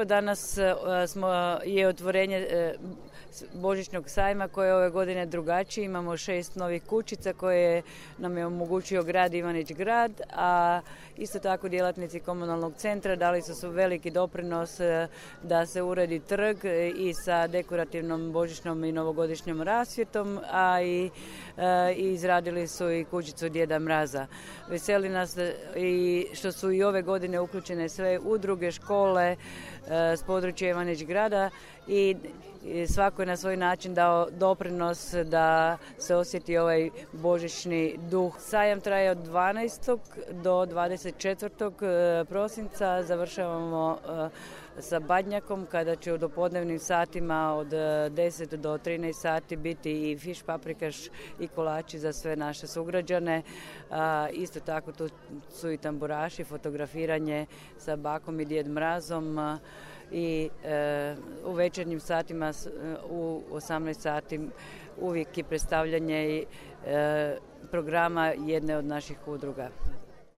evo danas je otvorenje božićnog sajma koje je ove godine drugačije. Imamo 6 novih kućica koje nam je omogućio grad Ivanić Grad, a isto tako djelatnici komunalnog centra dali su veliki doprinos da se uredi trg i sa dekorativnom božićnom i novogodišnjom rasvjetom, a i izradili su i kućicu Djeda Mraza. Veseli nas i što su i ove godine uključene sve udruge, škole s područja Ivanić Grada i svako je na svoj način dao doprinos da se osjeti ovaj božićni duh. Sajam traje od 12. do 24. prosinca. Završavamo sa badnjakom kada će u dopodnevnim satima od 10 do 13 sati biti i fiš paprikaš i kolači za sve naše sugrađane. Isto tako tu su i tamburaši, fotografiranje sa bakom i Djed Mrazom i u večernjim satima u 18 sati uvijek je predstavljanje programa jedne od naših udruga.